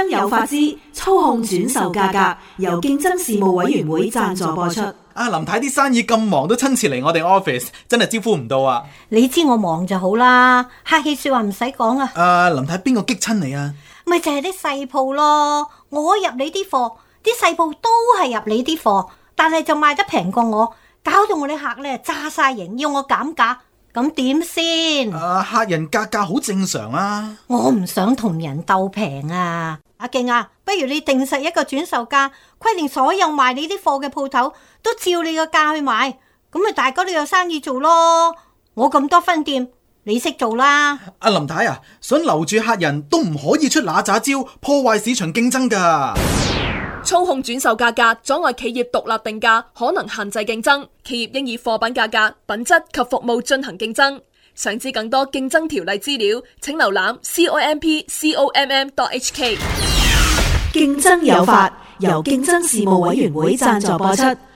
爭有法之操控轉售價格，由競爭事務委員會贊助播出。林太啲生意咁忙都親自嚟我哋 office， 真係招呼唔到啊！你知我忙就好啦，客氣說話唔使講啊。林太邊個激親你啊？咪就係啲細鋪咯，我入你啲貨，啲細鋪都係入你啲貨，但係就賣得平過我，搞到我啲客咧炸晒型，要我減價，咁點先？客人格價好正常啊。我唔想同人鬥平啊。阿勁啊，不如你定實一個轉售價，規定所有賣你啲貨嘅鋪頭都照你個價去賣，咁咪大家都有生意做咯。我咁多分店，你識做啦。阿林太啊，想留住客人都唔可以出嗱喳招，破壞市場競爭噶。操控轉售價格，阻礙企業獨立定價，可能限制競爭。企業應以貨品價格、品質及服務進行競爭。想知更多競爭條例資料，請瀏覽 COMP.com.hk。競爭有法，由競爭事務委員會贊助播出。